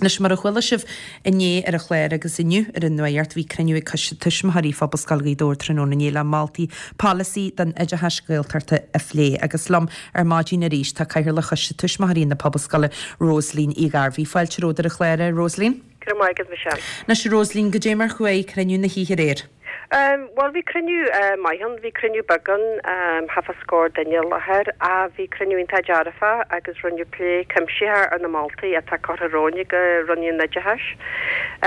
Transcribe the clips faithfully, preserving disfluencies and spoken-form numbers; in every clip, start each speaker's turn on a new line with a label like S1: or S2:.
S1: Anois mar a chuala sibh inné ar an chlár agus inniu ar an Nuacht bhí cruinniú ag Coiste Tuismitheoirí Phobalscoil Ghaoth Dobhair tráthnóna inné le moltaí polasaí don oideachas Gaeltachta a phlé agus liom ar maidin arís tá Cathaoirleach Choiste Tuismitheoirí na Pobalscoile Rosaleen Uí Ghairbhí. Fáilte romhat ar an chlár a Rosaleen.
S2: Go raibh maith agat Michelle.
S1: Anois Rosaleen goidé mar chuaigh cruinniú na hoíche aréir.
S2: Um, Bhuel bhí cruinniú uh, maith ann, bhí cruinniú beag ann um, thart fá scór duine i láthair a bhí cruinniú iontach dearfach agus rinneadh plé cuimsitheach ar na moltaí atá curtha romhainn ag Roinn an Oideachais.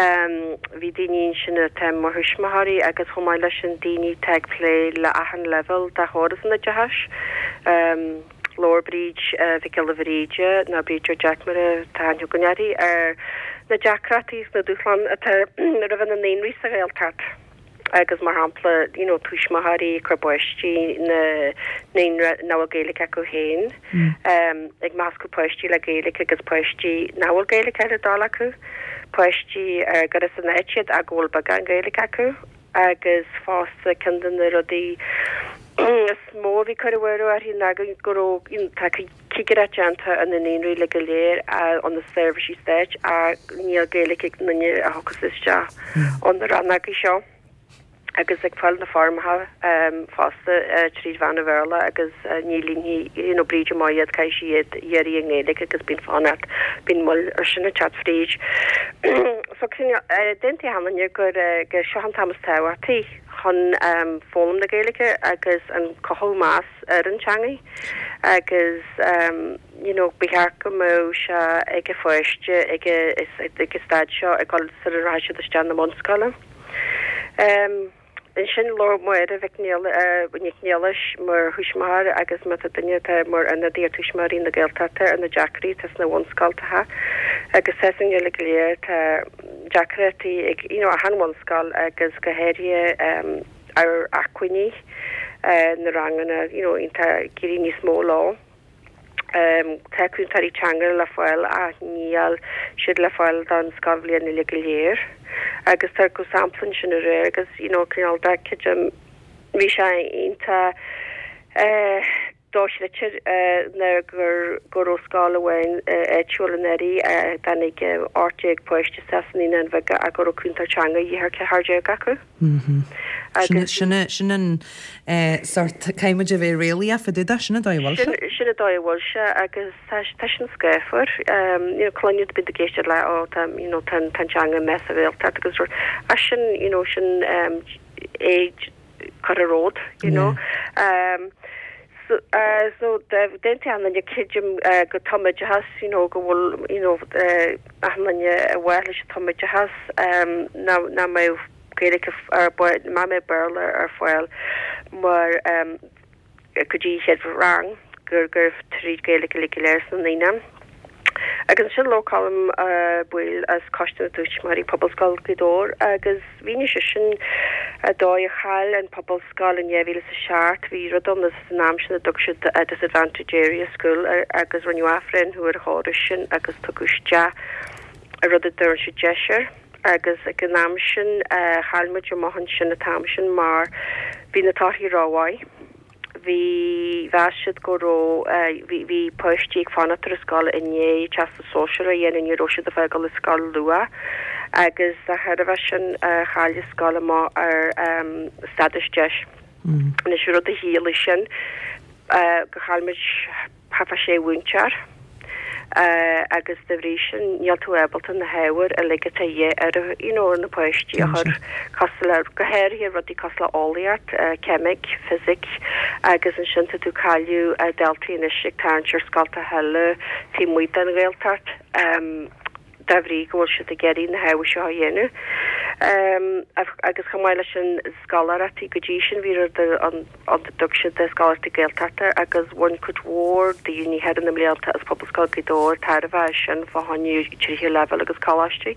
S2: Um, bhí daoine sin atá mar thuismitheoirí agus chomh maith leis an daoine atá ag plé le achan leibhéal de chóras an oideachais. Um, Labhair Bríd uh, Mhic Giolla Bhríde nó Bríd Jack mar atá aithne againn uirthi ar na deacrachtaí na dúshláin atá roimh na naíonraí sa Ghaeltacht. agus mar shampla you know, tuismitheoirí cur páistí na naíonra nach bhfuil Gaeilge acu féin mm. um, ag meascadh páistí le Gaeilge agus páistí nach bhfuil Gaeilge ar a dtoil acu páistí uh, gur as an áit iad ach go bhfuil beagán Gaeilge acu agus fosta ceann de na rudaí is mó bhí cur uirthi ná go tá cigireacht déanta ar na naíonraí le go léir an na seirbhísí stáit a níl Gaeilge ag duine a thiocfas isteach an na rannógaí seo. agus ag fáil na foirmeacha um, fosta uh, tríd mheán an Bhéarla agus uh, ní líonfaidh you know, Bríd amach iad caithfidh sí iad iarraidh i nGaeilge agus bíonn fanacht bíonn moill ar sin ag teacht fríd. so uh, d'aontaigh achan duine gur uh, gur seo an t-am is tábhachtaí chun um, foghlaim na Gaeilge agus an cothú meas ar an teanga agus um, you know, ba cheart go mbeadh sé ag an pháiste ag ag staid seo ag dul sar a rachaidh siad isteach na bunscoile. Um, Ansin labhair Máire Mhic Nic Niallais mar thuismitheoir agus mar duine atá mar ionadaí tuismitheoirí na Gaeltachta ar na deacrachtaí atá sna bunscoltacha agus sean le go léir tá deacrachtaí ag you know, achan bhunscoil agus go háirithe um, ar acmhainní uh, na ranganna you know, tá éirí níos mó lá. Um, tá cúntóirí teanga le fáil ach níl siad le fáil don scoilbhliain uile go léir. agus tá go samplan sin aréir agus you know, cineál de bhí sé iontach uh, dochreidte uh, na gur gur scoil amháin áitiúil in Éirinn tháinig ocht déag páiste sa naíonáin bheaga a go raibh cúntóir teanga ar ceathair déag acu.
S1: Sin sin an sort caithfimid a bheith réalaíoch fá dtaobh de sin an dóigh a bhfuil sé?
S2: Sin an dóigh a bhfuil sé agus tá sin scáfar cluinead bid géiste le ó tá tan teanga me a bhéalta agus a sin you know, sin um, éid chur a ród you know. Um, so uh, so d'aontaigh achan duine creidim uh, go tumoideachas you know go bhfuil you know uh, achan duine a bhfuil leis tumoideachas um, ná ná mbeadh Gaeilge ar má mbeadh Béarla ar fáil mar um, go dtí chéad rang gur gur tríd Gaeilge le go léir sna naíonáin. Agus sin labhair Colm uh, Boyle as Coiste na dTuismitheoirí Pobalscoil Ghaoth Dobhair agus mhínigh sé sin an dóigh a chaill an Pobalscoil in dhá mhíle a seacht bhí rud ann san am sin a dtug siad a disadvantage area school agus rinneadh athbhreithniú ar chóras sin agus tugadh isteach a rud a dtugann siad DEIS air agus ag an am sin uh, chaill muid amach ansin an t-am sin mar bhí na torthaí rómhaith. Bhí mheas siad go raibh bhí bhí páistí ag fanacht ar scoil i ndiaidh teastas sóisearach a dhéanamh ní raibh siad ag fágáil an scoil luath agus a thairbhe sin chaill an scoil amach ar um, stádas DEIS.
S1: Mm.
S2: Anois rud a chiallaigh sin uh, go chaill muid thart fá sé mhúinteoir. Uh, agus de bhrí sin níl tú ábalta na hábhair uilig atá ar you know, na páistí a chur cosúil le go háirithe rudaí cosúil le eolaíocht, uh, ceimic, fisic agus ansin tá tú ag cailleadh uh, daltaí anois ag tarraingt ar scolta eile taobh amuigh den Ghaeltacht um, de bhrí go bhfuil siad ag iarraidh na hábhair seo a dhéanamh. Um, agus chomh maith leis an scoláireachtaí go dtí sin bhí an an dtug siad de scoláireachtaí Gaeltachta agus bhain cuid mhór daoine thar na mblianta as Pobalscoil Ghaoth Dobhair tairbhe sin fá choinne tríú leibhéal agus coláistí.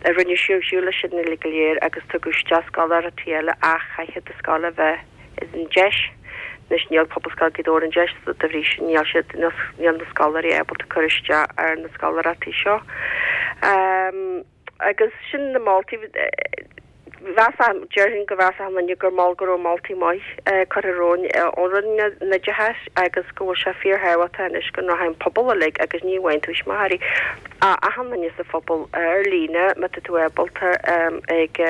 S2: A rinne siú le sin le go léir agus tugadh isteach scoláireachtaí eile ach chaithfidh do scoil a bheith in DEIS. Anois níl Pobalscoil Ghaoth Dobhair in DEIS de bhrí sin níl siad níl na scoláirí ábalta cur isteach ar na scoláireachtaí seo. Um, agus sin na moltaí Mheas, déarfainn go mheas achan duine gur mol go raibh moltaí maith curtha romhainn ón Roinn Oideachais agus go bhfuil sé fíorthábhachtach anois go rachaidh an pobal uilig agus ní amháin tuismitheoirí ach achan duine sa phobal ar líne má tá tú ábalta ag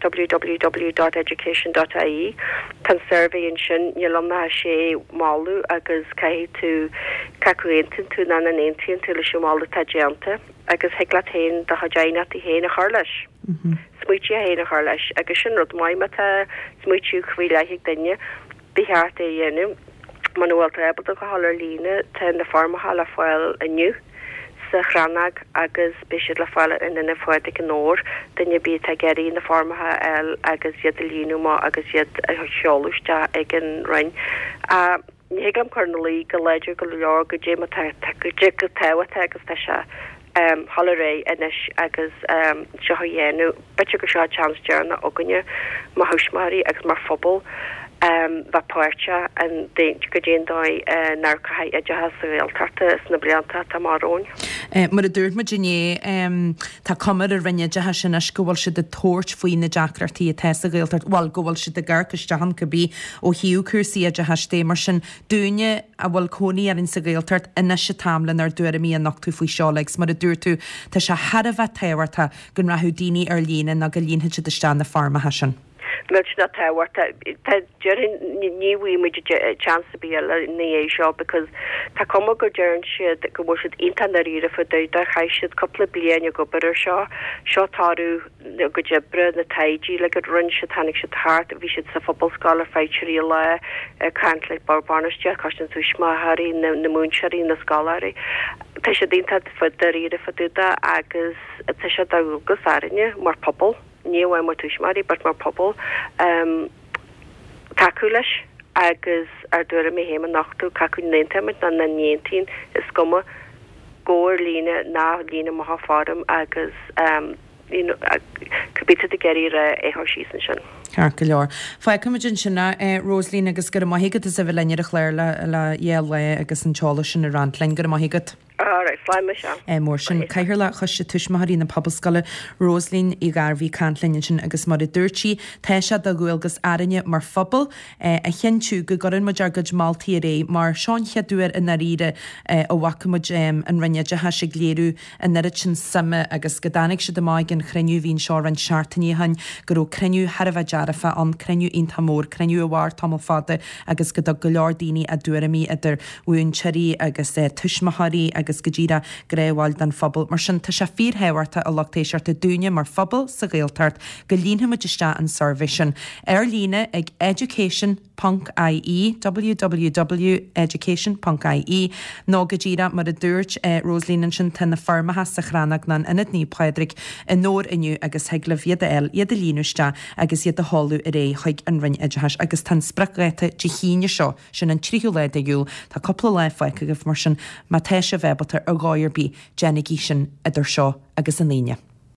S2: www dot education dot ie tá an suirbhé ansin níl ann ach sé mholadh agus caithfidh tú cé acu aontaíonn tú nó nach n-aontaíonn tú leis an mholadh atá déanta agus thig leat féin do chuid aighneachtaí féin a chur leis. smaointe féin a chur leis agus sin rud maith má tá smaoitiú faoi leith ag duine, ba cheart é a dhéanamh. Muna bhfuil tú ábalta a ghabháil ar líne, tá na foirmeacha le fáil inniu sa Chrannóg agus beidh siad le fáil in Ionad Naomh Phádraig i nDobhar, duine ar bith atá ag iarraidh na foirmeacha a fháil agus iad a líonadh amach agus iad a sheoladh isteach ag an Roinn. Ní thig liom cur ina luí go láidir go leor goidé mar tá goidé chomh tábhachtach agus tá sé dhul ar aghaidh anois agus seo a dhéanamh. B'fhéidir gur seo an seans deireanach againne mar thuismitheoirí agus mar phobal bheith páirteach in goidé an dóigh a n-amharcfaidh oideachas sa Ghaeltacht sna blianta atá amach romhainn.
S1: Mar a dúirt muid inné, tá cuma ar an Roinn Oideachais anois go bhfuil siad ag tabhairt faoi na deacrachtaí atá sa Ghaeltacht, bhuel, go bhfuil siad ag amharc isteach ann cibé ó thaobh cúrsaí oideachais de. Mar sin, dúinne a bhfuil cónaí orainn sa Ghaeltacht, anois an t-am lenár dtuairimí a nochtadh faoi seo agus mar a dúirt tú, tá sé thar a bheith tábhachtach go rachadh daoine ar líne nó go líonfadh siad isteach na foirmeacha sin.
S2: Millteanach tábhachtach. Tá, déarfainn, ní bhfaighidh muid chance ar bith eile ina dhiaidh seo because tá cuma go deireann siad go bhfuil siad iontach ndáiríre fá dtaobh de, chaith siad cúpla bliain ag obair ar seo, seo toradh a gcuid oibre, na taighde uilig a rinne siad, tháinig siad thart, bhí siad sa Phobalscoil ar feadh trí lá ag caint le bord bainistíochta, coiste na tuismitheoirí, na múinteoirí, na scoláirí. Tá siad iontach dáiríre fá dtaobh de agus tá sé de dhualgas orainne mar phobal, ní amháin mar tuismitheoirí but mar phobal, tacú leis agus ár dtuairimí féin a nochtadh, cé acu n-aontaímid nó nach n-aontaíonn, is cuma, gabh ar líne ná líon amach an foirm agus you know cibé atá tú ag iarraidh a rá é a chur síos ansin.
S1: Ceart go leor. Fágfaimid ansin é, Rosaleen, agus go raibh maith agat as a bheith linn ar an chlár le dhá lá agus an t-eolas sin a roinnt linn. Go raibh maith agat.
S2: Alright, slán Michelle.
S1: Mór sin. Cathaoirleach Choiste Tuismitheoirí na Pobalscoile, Rosaleen Uí Ghairbhí ag caint linn ansin agus mar a dúirt sí, tá sé de dhualgas orainne mar phobal a chinntiú go gcuireann muid ár gcuid moltaí ar aghaidh mar seo an chéad uair i ndáiríre a bhfaca muid an Roinn Oideachais ag léiriú an oiread sin suime agus go dtáinig siad amach ag an chruinniú a bhí anseo roinnt seachtainí ó shin go raibh cruinniú thar a bheith dearfach ann, cruinniú iontach mór, cruinniú a mhair tamall fada agus go dtug go leor daoine a dtuairimí idir mhúinteoirí agus tuismitheoirí agus go díreach gnáthbhaill den phobal. Mar sin, tá sé fíorthábhachtach, a lucht éisteachta, dúinne mar phobal sa Ghaeltacht go líonfaidh muid isteach an suirbhé sin ar líne ag education ponc ie, www education ponc ie, nó go díreach mar a dúirt Rosaleen ansin, tá na foirmeacha sa Chrannóg nó in Ionad Naomh Pádraig i nDobhar inniu agus thig libh iad a fháil, iad a líonadh isteach agus iad a sheoladh ar aghaidh chuig an Roinn Oideachais agus tá an spriocdháta Dé hAoine seo, sin an tríú lá de Iúil, tá cúpla lá fágtha agaibh mar sin má tá sibh ábalta ar dhóigh ar bith, déanaigí sin idir seo agus an Aoine.